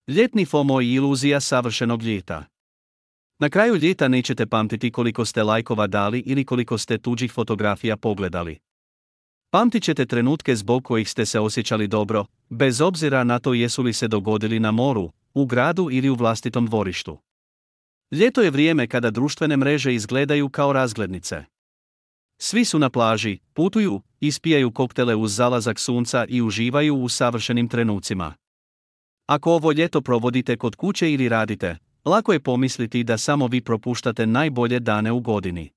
Ljetni FOMO i iluzija savršenog ljeta. Na kraju ljeta nećete pamtiti koliko ste lajkova dali ili koliko ste tuđih fotografija pogledali. Pamtit ćete trenutke zbog kojih ste se osjećali dobro, bez obzira na to jesu li se dogodili na moru, u gradu ili u vlastitom dvorištu. Ljeto je vrijeme kada društvene mreže izgledaju kao razglednice. Svi su na plaži, putuju, ispijaju koktele uz zalazak sunca i uživaju u savršenim trenucima. Ako ovo ljeto provodite kod kuće ili radite, lako je pomisliti da samo vi propuštate najbolje dane u godini.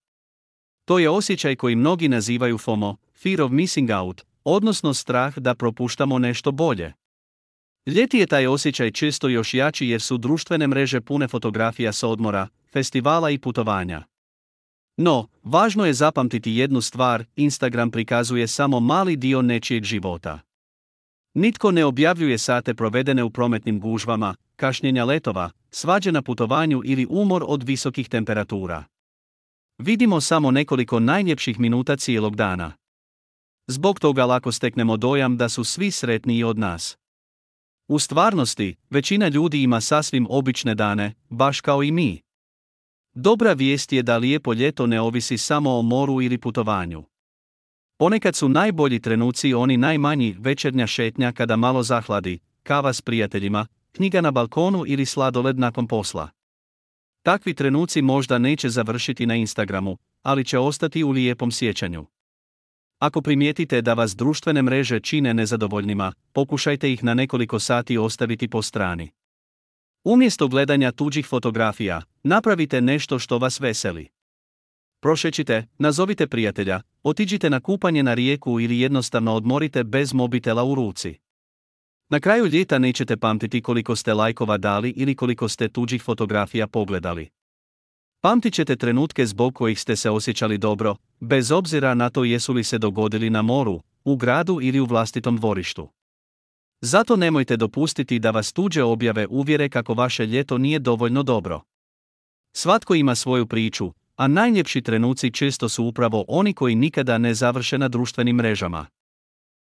To je osjećaj koji mnogi nazivaju FOMO, Fear of Missing Out, odnosno strah da propuštamo nešto bolje. Ljeti je taj osjećaj često još jači jer su društvene mreže pune fotografija s odmora, festivala i putovanja. No, važno je zapamtiti jednu stvar, Instagram prikazuje samo mali dio nečijeg života. Nitko ne objavljuje sate provedene u prometnim gužvama, kašnjenja letova, svađe na putovanju ili umor od visokih temperatura. Vidimo samo nekoliko najljepših minuta cijelog dana. Zbog toga lako steknemo dojam da su svi sretniji od nas. U stvarnosti, većina ljudi ima sasvim obične dane, baš kao i mi. Dobra vijest je da lijepo ljeto ne ovisi samo o moru ili putovanju. Ponekad su najbolji trenuci oni najmanji, večernja šetnja kada malo zahladi, kava s prijateljima, knjiga na balkonu ili sladoled nakon posla. Takvi trenuci možda neće završiti na Instagramu, ali će ostati u lijepom sjećanju. Ako primijetite da vas društvene mreže čine nezadovoljnima, pokušajte ih na nekoliko sati ostaviti po strani. Umjesto gledanja tuđih fotografija, napravite nešto što vas veseli. Prošećite, nazovite prijatelja, otiđite na kupanje na rijeku ili jednostavno odmorite bez mobitela u ruci. Na kraju ljeta nećete pamtiti koliko ste lajkova dali ili koliko ste tuđih fotografija pogledali. Pamtit ćete trenutke zbog kojih ste se osjećali dobro, bez obzira na to jesu li se dogodili na moru, u gradu ili u vlastitom dvorištu. Zato nemojte dopustiti da vas tuđe objave uvjere kako vaše ljeto nije dovoljno dobro. Svatko ima svoju priču, a najljepši trenuci često su upravo oni koji nikada ne završe na društvenim mrežama.